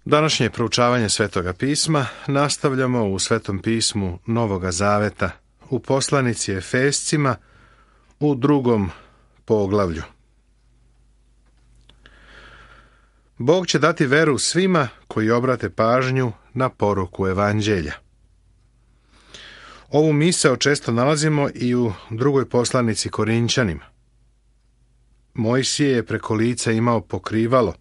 Današnje proučavanje Svetoga pisma nastavljamo u Svetom pismu Novoga Zaveta, u poslanici Efescima, u 2. poglavlju. Bog će dati veru svima koji obrate pažnju na poruku Evanđelja. Ovu misao često nalazimo i u 2. poslanici Korinćanima. Mojsije je preko lica imao pokrivalo,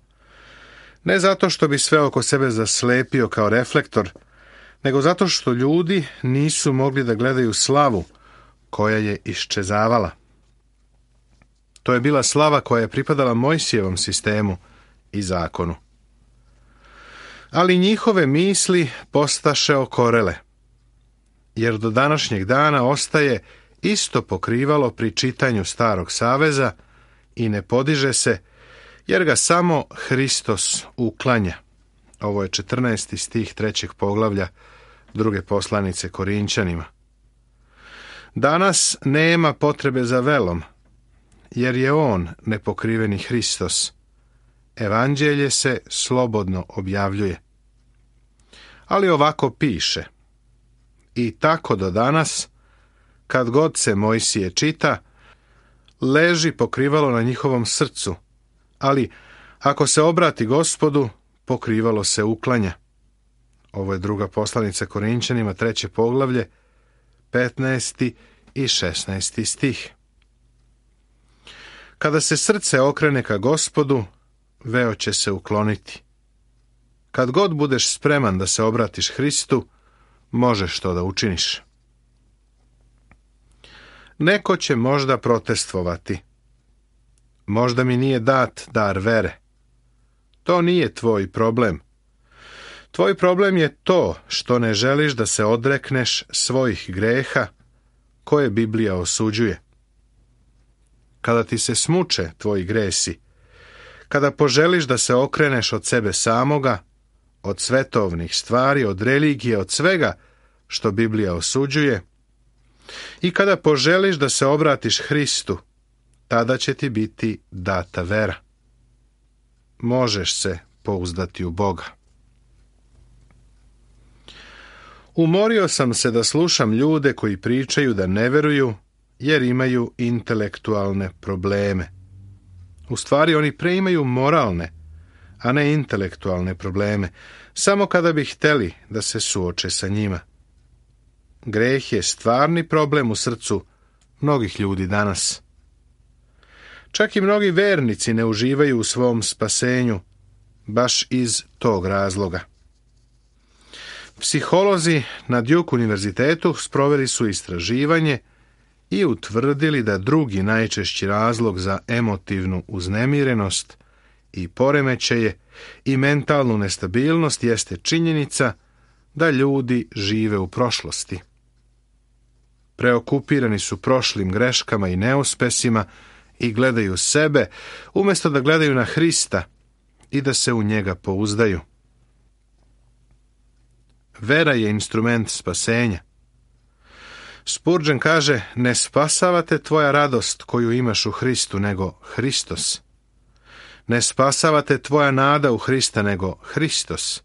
ne zato što bi sve oko sebe zaslepio kao reflektor, nego zato što ljudi nisu mogli da gledaju slavu koja je iščezavala. To je bila slava koja je pripadala Mojsijevom sistemu i zakonu. Ali njihove misli postaše okorele, jer do današnjeg dana ostaje isto pokrivalo pri čitanju Starog Saveza i ne podiže se, jer ga samo Hristos uklanja. Ovo je 14. stih 3. poglavlja 2. poslanice Korinćanima. Danas nema potrebe za velom, jer je on nepokriveni Hristos. Evanđelje se slobodno objavljuje. Ali ovako piše: i tako do danas, kad god se Mojsije čita, leži pokrivalo na njihovom srcu, ali ako se obrati Gospodu, pokrivalo se uklanja. Ovo je 2. poslanica Korinćanima, 3. poglavlje, 15. i 16. stih. Kada se srce okrene ka Gospodu, veo će se ukloniti. Kad god budeš spreman da se obratiš Hristu, možeš to da učiniš. Neko će možda protestvovati. Možda mi nije dat dar vere. To nije tvoj problem. Tvoj problem je to što ne želiš da se odrekneš svojih greha koje Biblija osuđuje. Kada ti se smuče tvoji gresi, kada poželiš da se okreneš od sebe samoga, od svetovnih stvari, od religije, od svega što Biblija osuđuje, i kada poželiš da se obratiš Hristu, tada će ti biti data vera. Možeš se pouzdati u Boga. Umorio sam se da slušam ljude koji pričaju da ne veruju jer imaju intelektualne probleme. U stvari oni preimaju moralne, a ne intelektualne probleme, samo kada bi hteli da se suoče sa njima. Greh je stvarni problem u srcu mnogih ljudi danas. Čak i mnogi vernici ne uživaju u svom spasenju, baš iz tog razloga. Psiholozi na Duke univerzitetu sproveli su istraživanje i utvrdili da drugi najčešći razlog za emotivnu uznemirenost i poremećaje i mentalnu nestabilnost jeste činjenica da ljudi žive u prošlosti. Preokupirani su prošlim greškama i neuspesima i gledaju sebe, umjesto da gledaju na Hrista i da se u njega pouzdaju. Vera je instrument spasenja. Spurgeon kaže: ne spasava te tvoja radost koju imaš u Hristu, nego Hristos. Ne spasava te tvoja nada u Hrista, nego Hristos.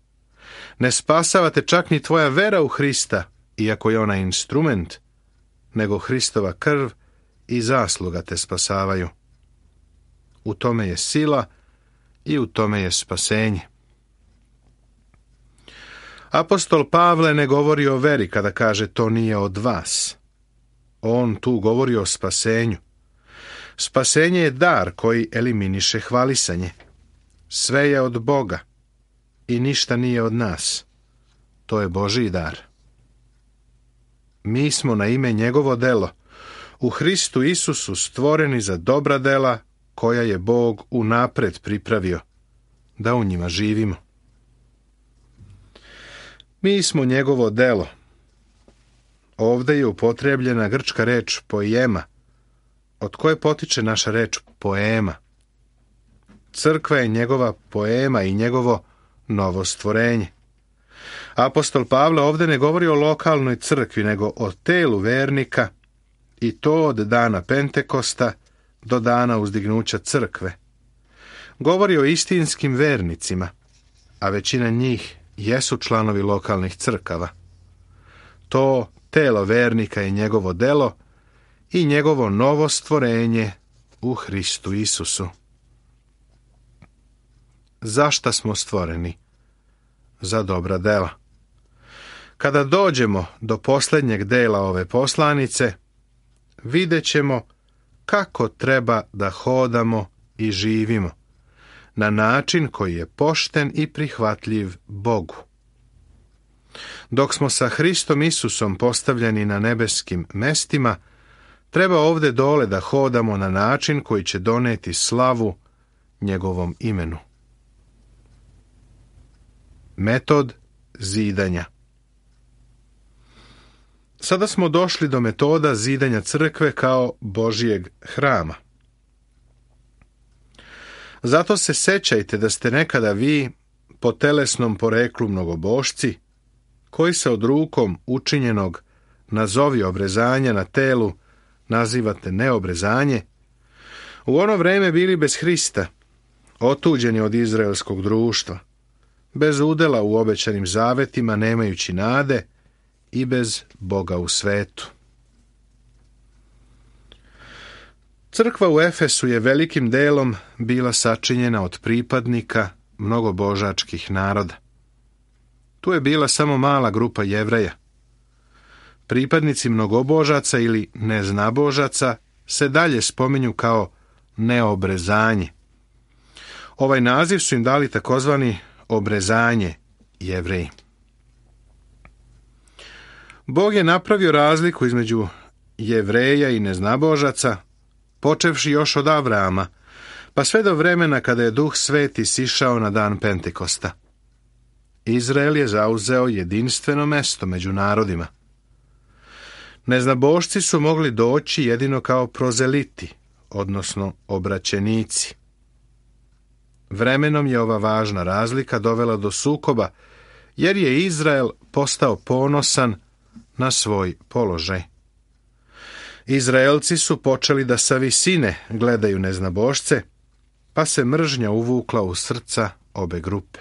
Ne spasava te čak ni tvoja vera u Hrista, iako je ona instrument, nego Hristova krv i zasluga te spasavaju. U tome je sila i u tome je spasenje. Apostol Pavle ne govori o veri kada kaže to nije od vas. On tu govori o spasenju. Spasenje je dar koji eliminiše hvalisanje. Sve je od Boga i ništa nije od nas. To je Božji dar. Mi smo na ime njegovo delo, u Hristu Isusu stvoreni za dobra dela koja je Bog unapred pripravio, da u njima živimo. Mi smo njegovo delo. Ovdje je upotrijebljena grčka reč poema, od koje potiče naša reč poema. Crkva je njegova poema i njegovo novo stvorenje. Apostol Pavle ovdje ne govori o lokalnoj crkvi, nego o telu vernika, i to od dana Pentekosta do dana uzdignuća crkve. Govori o istinskim vernicima, a većina njih jesu članovi lokalnih crkava. To telo vernika je njegovo delo i njegovo novo stvorenje u Hristu Isusu. Zašta smo stvoreni? Za dobra dela. Kada dođemo do posljednjeg dela ove poslanice, vidjet ćemo kako treba da hodamo i živimo, na način koji je pošten i prihvatljiv Bogu. Dok smo sa Hristom Isusom postavljeni na nebeskim mestima, treba ovdje dole da hodamo na način koji će doneti slavu njegovom imenu. Metod zidanja. Sada smo došli do metoda zidanja crkve kao Božijeg hrama. Zato se sećajte da ste nekada vi, po telesnom poreklu mnogobošci, koji se od rukom učinjenog nazovi obrezanja na telu nazivate neobrezanje, u ono vreme bili bez Hrista, otuđeni od izraelskog društva, bez udela u obećanim zavetima, nemajući nade i bez Boga u svetu. Crkva u Efesu je velikim delom bila sačinjena od pripadnika mnogobožačkih naroda. Tu je bila samo mala grupa Jevreja. Pripadnici mnogobožaca ili neznabožaca se dalje spominju kao neobrezanje. Ovaj naziv su im dali takozvani obrezanje Jevreji. Bog je napravio razliku između Jevreja i neznabožaca, počevši još od Avrama, pa sve do vremena kada je Duh Sveti sišao na dan Pentekosta. Izrael je zauzeo jedinstveno mesto među narodima. Neznabošci su mogli doći jedino kao prozeliti, odnosno obraćenici. Vremenom je ova važna razlika dovela do sukoba, jer je Izrael postao ponosan na svoj položaj. Izraelci su počeli da sa visine gledaju neznabošce, pa se mržnja uvukla u srca obe grupe.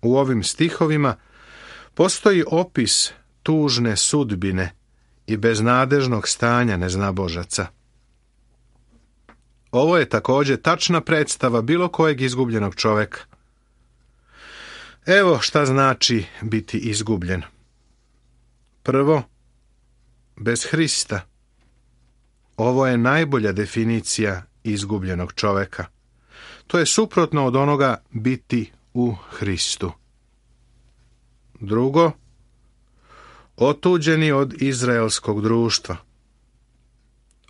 U ovim stihovima postoji opis tužne sudbine i beznadežnog stanja neznabožaca. Ovo je također tačna predstava bilo kojeg izgubljenog čoveka. Evo šta znači biti izgubljen. Prvo, bez Hrista. Ovo je najbolja definicija izgubljenog čoveka. To je suprotno od onoga biti u Hristu. Drugo, otuđeni od izraelskog društva.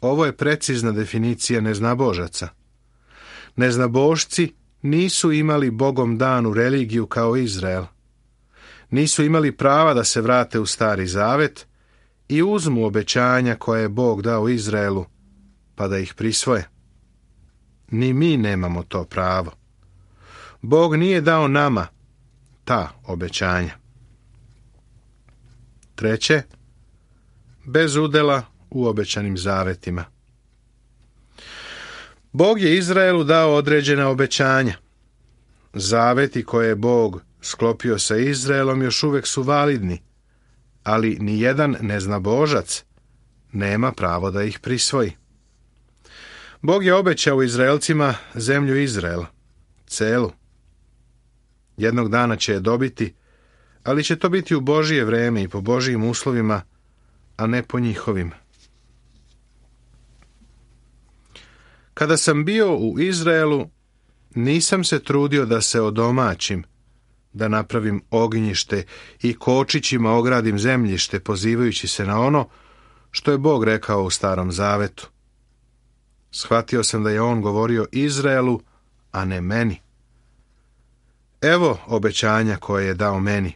Ovo je precizna definicija neznabožaca. Neznabošci nisu imali Bogom danu religiju kao Izrael. Nisu imali prava da se vrate u Stari Zavet i uzmu obećanja koje je Bog dao Izraelu, pa da ih prisvoje. Ni mi nemamo to pravo. Bog nije dao nama ta obećanja. Treće, bez udela u obećanim zavetima. Bog je Izraelu dao određena obećanja. Zaveti koje je Bog sklopio sa Izraelom još uvijek su validni, ali ni jedan neznabožac nema pravo da ih prisvoji. Bog je obećao Izraelcima zemlju Izrael, celu. Jednog dana će je dobiti, ali će to biti u Božije vreme i po Božijim uslovima, a ne po njihovim. Kada sam bio u Izraelu, nisam se trudio da se odomaćim, da napravim ognjište i kočićima ogradim zemljište, pozivajući se na ono što je Bog rekao u Starom Zavetu. Shvatio sam da je on govorio Izraelu, a ne meni. Evo obećanja koje je dao meni.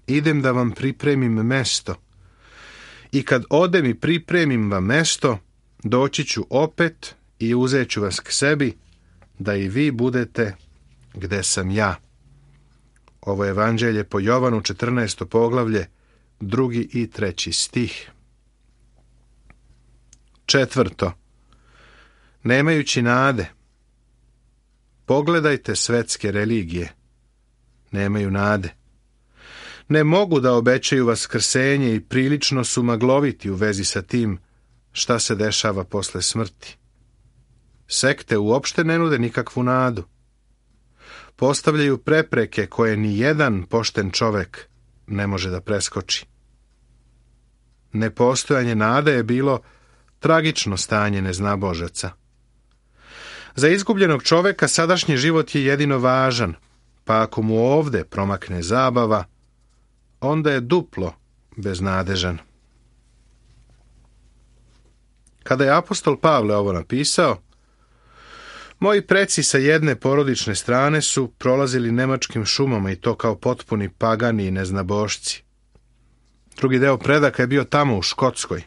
Idem da vam pripremim mesto. I kad odem i pripremim vam mesto, doći ću opet i uzet ću vas k sebi, da i vi budete gde sam ja. Ovo je evanđelje po Jovanu 14. poglavlje, 2. i 3. stih. Četvrto, nemajući nade. Pogledajte svetske religije. Nemaju nade. Ne mogu da obećaju vaskrsenje i prilično su magloviti u vezi sa tim šta se dešava posle smrti. Sekte uopšte ne nude nikakvu nadu. Postavljaju prepreke koje ni jedan pošten čovek ne može da preskoči. Nepostojanje nade je bilo tragično stanje neznabožaca. Za izgubljenog čoveka sadašnji život je jedino važan, pa ako mu ovde promakne zabava, onda je duplo beznadežan. Kada je apostol Pavle ovo napisao, moji preci sa jedne porodične strane su prolazili nemačkim šumama i to kao potpuni pagani i neznabošci. Drugi deo predaka je bio tamo u Škotskoj.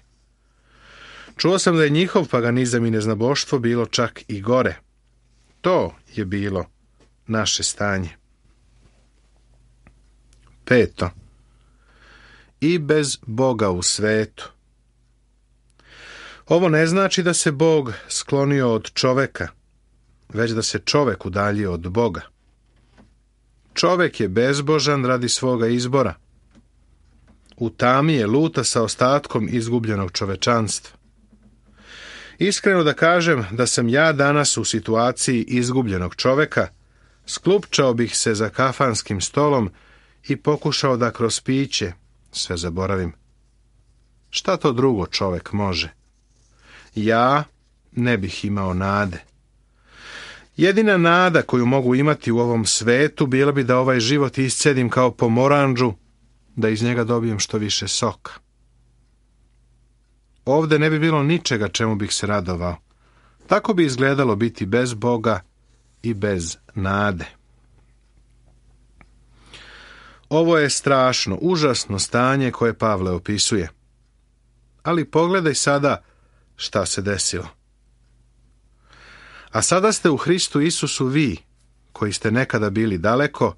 Čuo sam da je njihov paganizam i neznaboštvo bilo čak i gore. To je bilo naše stanje. 5. I bez Boga u svetu. Ovo ne znači da se Bog sklonio od čoveka, već da se čovek udaljio od Boga. Čovek je bezbožan radi svoga izbora. U tami je luta sa ostatkom izgubljenog čovečanstva. Iskreno da kažem da sam ja danas u situaciji izgubljenog čoveka, sklupčao bih se za kafanskim stolom i pokušao da kroz piće sve zaboravim. Šta to drugo čovek može? Ja ne bih imao nade. Jedina nada koju mogu imati u ovom svetu bila bi da ovaj život iscedim kao pomoranđu, da iz njega dobijem što više soka. Ovde ne bi bilo ničega čemu bih se radovao. Tako bi izgledalo biti bez Boga i bez nade. Ovo je strašno, užasno stanje koje Pavle opisuje. Ali pogledaj sada šta se desilo. A sada ste u Hristu Isusu vi, koji ste nekada bili daleko,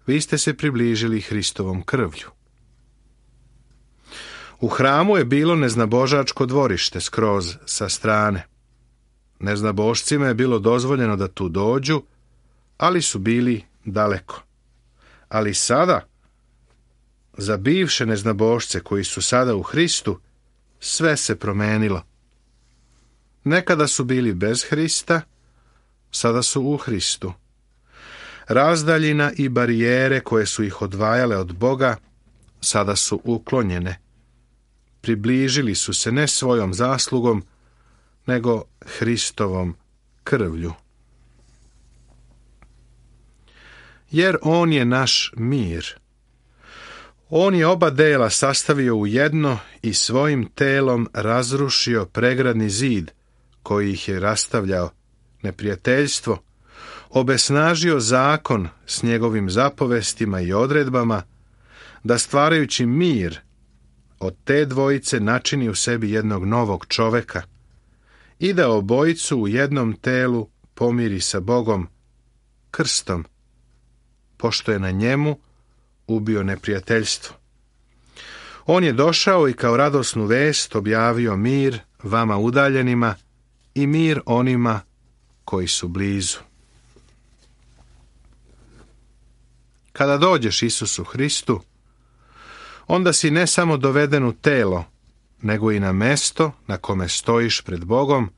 vi ste se približili Hristovom krvlju. U hramu je bilo neznabožačko dvorište skroz sa strane. Neznabošcima je bilo dozvoljeno da tu dođu, ali su bili daleko. Ali sada, za bivše neznabošce koji su sada u Hristu, sve se promenilo. Nekada su bili bez Hrista, sada su u Hristu. Razdaljina i barijere koje su ih odvajale od Boga, sada su uklonjene. Približili su se ne svojom zaslugom, nego Hristovom krvlju. Jer on je naš mir. On je oba dela sastavio u jedno i svojim telom razrušio pregradni zid koji ih je rastavljao, neprijateljstvo, obesnažio zakon s njegovim zapovestima i odredbama, da stvarajući mir od te dvojice načini u sebi jednog novog čoveka i da obojicu u jednom telu pomiri sa Bogom krstom, pošto je na njemu ubio neprijateljstvo. On je došao i kao radosnu vest objavio mir vama udaljenima i mir onima koji su blizu. Kada dođeš Isusu Hristu, onda si ne samo doveden u telo, nego i na mesto na kome stojiš pred Bogom,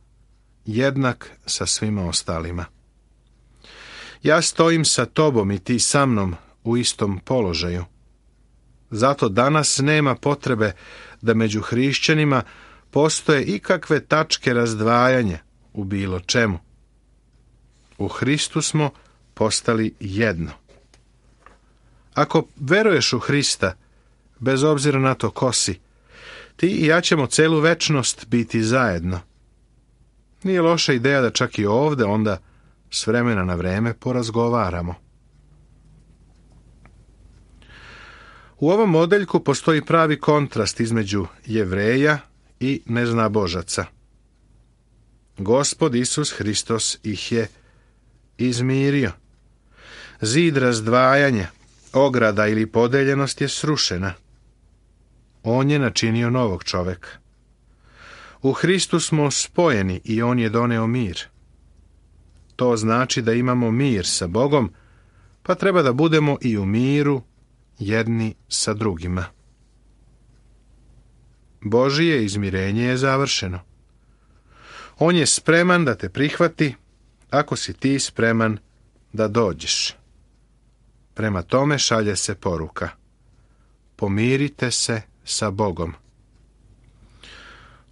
jednak sa svima ostalima. Ja stojim sa tobom i ti sa mnom u istom položaju. Zato danas nema potrebe da među hrišćanima postoje ikakve tačke razdvajanja u bilo čemu. U Hristu smo postali jedno. Ako veruješ u Hrista, bez obzira na to ko si, ti i ja ćemo celu večnost biti zajedno. Nije loša ideja da čak i ovde onda s vremena na vreme porazgovaramo. U ovom modeljku postoji pravi kontrast između Jevreja i neznabožaca. Gospod Isus Hristos ih je izmirio. Zid razdvajanja, ograda ili podeljenost je srušena. On je načinio novog čoveka. U Hristu smo spojeni i on je doneo mir. to znači da imamo mir sa Bogom, pa treba da budemo i u miru jedni sa drugima. Božije izmirenje je završeno. On je spreman da te prihvati ako si ti spreman da dođeš. Prema tome šalje se poruka: pomirite se sa Bogom.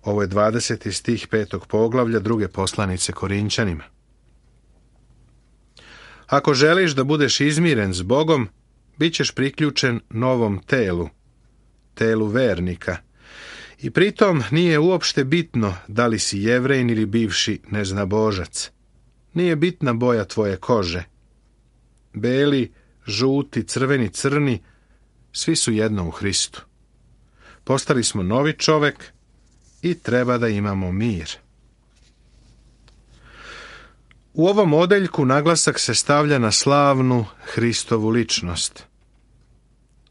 Ovo je 20. stih 5. poglavlja 2. poslanice Korinćanima. Ako želiš da budeš izmiren s Bogom, bit ćeš priključen novom telu, telu vernika. I pritom nije uopšte bitno da li si Jevrejin ili bivši neznabožac. Nije bitna boja tvoje kože. Beli, žuti, crveni, crni, svi su jedno u Hristu. Postali smo novi čovek i treba da imamo mir. U ovom odeljku naglasak se stavlja na slavnu Hristovu ličnost.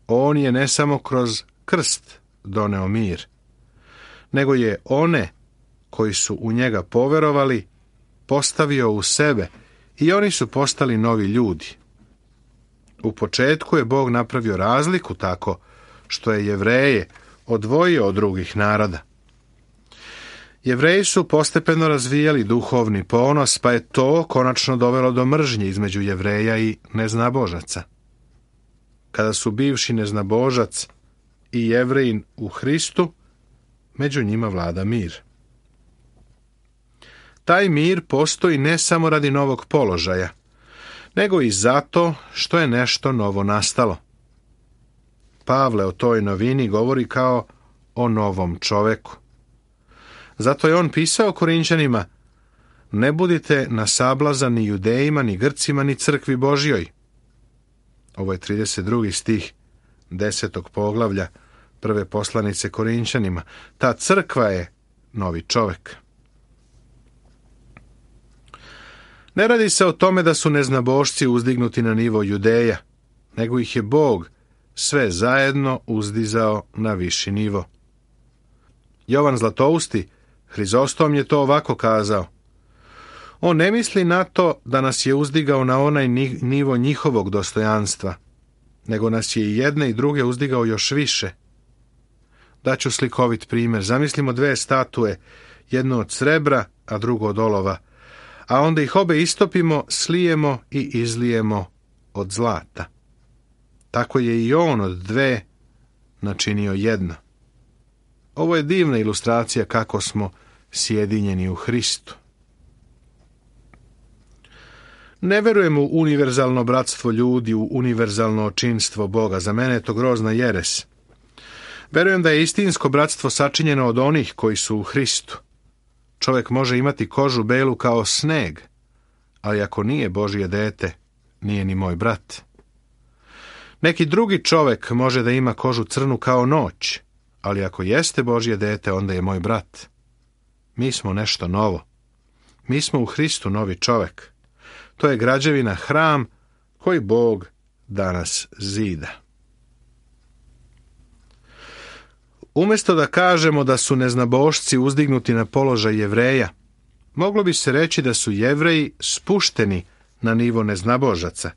On je ne samo kroz krst doneo mir, nego je one koji su u njega poverovali postavio u sebe i oni su postali novi ljudi. U početku je Bog napravio razliku tako što je Jevreje odvojio od drugih naroda. Jevreji su postepeno razvijali duhovni ponos, pa je to konačno dovelo do mržnje između Jevreja i neznabožaca. Kada su bivši neznabožac i Jevrejin u Hristu, među njima vlada mir. Taj mir postoji ne samo radi novog položaja, nego i zato što je nešto novo nastalo. Pavle o toj novini govori kao o novom čoveku. Zato je on pisao Korinćanima: ne budite na sablaza ni Judejima, ni Grcima, ni crkvi Božjoj. Ovo je 32. stih 10. poglavlja 1. poslanice Korinćanima. Ta crkva je novi čovek. Ne radi se o tome da su neznabošci uzdignuti na nivo Judeja, nego ih je Bog sve zajedno uzdizao na viši nivo. Jovan Zlatousti, Hrizostom, je to ovako kazao: on ne misli na to da nas je uzdigao na onaj nivo njihovog dostojanstva, nego nas je i jedne i druge uzdigao još više. Daću slikovit primjer. Zamislimo dve statue, jednu od srebra, a drugu od olova, a onda ih obe istopimo, slijemo i izlijemo od zlata. Tako je i on od dve načinio jedno. Ovo je divna ilustracija kako smo sjedinjeni u Hristu. Ne verujem u univerzalno bratstvo ljudi, u univerzalno očinstvo Boga. Za mene je to grozna jeres. Verujem da je istinsko bratstvo sačinjeno od onih koji su u Hristu. Čovjek može imati kožu belu kao sneg, ali ako nije Božje dete, nije ni moj brat. Neki drugi čovjek može da ima kožu crnu kao noć, ali ako jeste Božje dete, onda je moj brat. Mi smo nešto novo. Mi smo u Hristu novi čovjek. To je građevina, hram koji Bog danas zida. Umjesto da kažemo da su neznabošci uzdignuti na položaj Jevreja, moglo bi se reći da su Jevreji spušteni na nivo neznabožaca,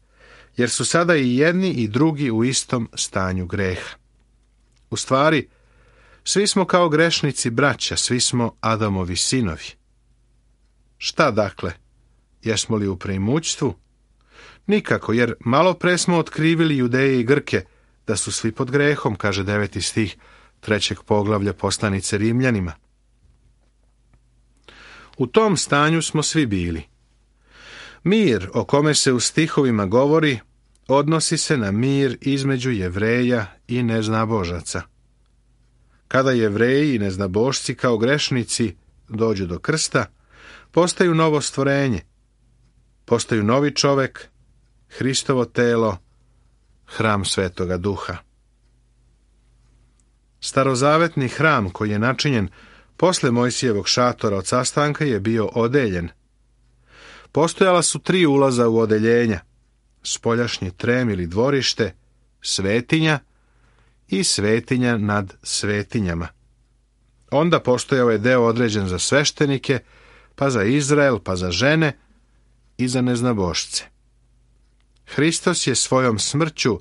jer su sada i jedni i drugi u istom stanju greha. U stvari, svi smo kao grešnici braća, svi smo Adamovi sinovi. Šta dakle? Jesmo li u preimućstvu? Nikako, jer malo pre smo otkrivili Judeje i Grke da su svi pod grehom, kaže 9. stih 3. poglavlja poslanice Rimljanima. U tom stanju smo svi bili. Mir o kome se u stihovima govori odnosi se na mir između Jevreja i neznabožaca. Kada Jevreji i neznabošci kao grešnici dođu do krsta, postaju novo stvorenje, postaju novi čovek, Hristovo telo, hram Svetoga Duha. Starozavetni hram koji je načinjen posle Mojsijevog šatora od sastanka je bio odeljen. Postojala su 3 ulaza u odeljenja: spoljašnji trem ili dvorište, svetinja i svetinja nad svetinjama. Onda postojao je deo određen za sveštenike, pa za Izrael, pa za žene i za neznabošce. Hristos je svojom smrću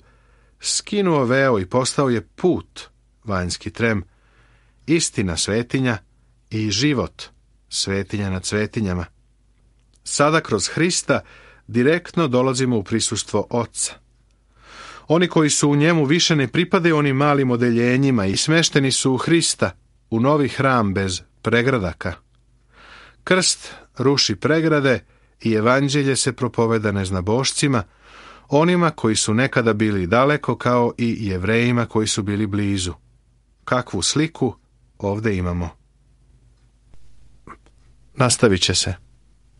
skinuo veo i postao je put, vanjski trem, istina svetinja i život, svetinja nad svetinjama. Sada kroz Hrista direktno dolazimo u prisustvo Oca. Oni koji su u njemu više ne pripadaju onim malim odeljenjima i smešteni su u Hrista, u novi hram bez pregradaka. Krst ruši pregrade i evanđelje se propoveda neznabošcima, onima koji su nekada bili daleko kao i Jevrejima koji su bili blizu. Kakvu sliku ovdje imamo? Nastavit će se.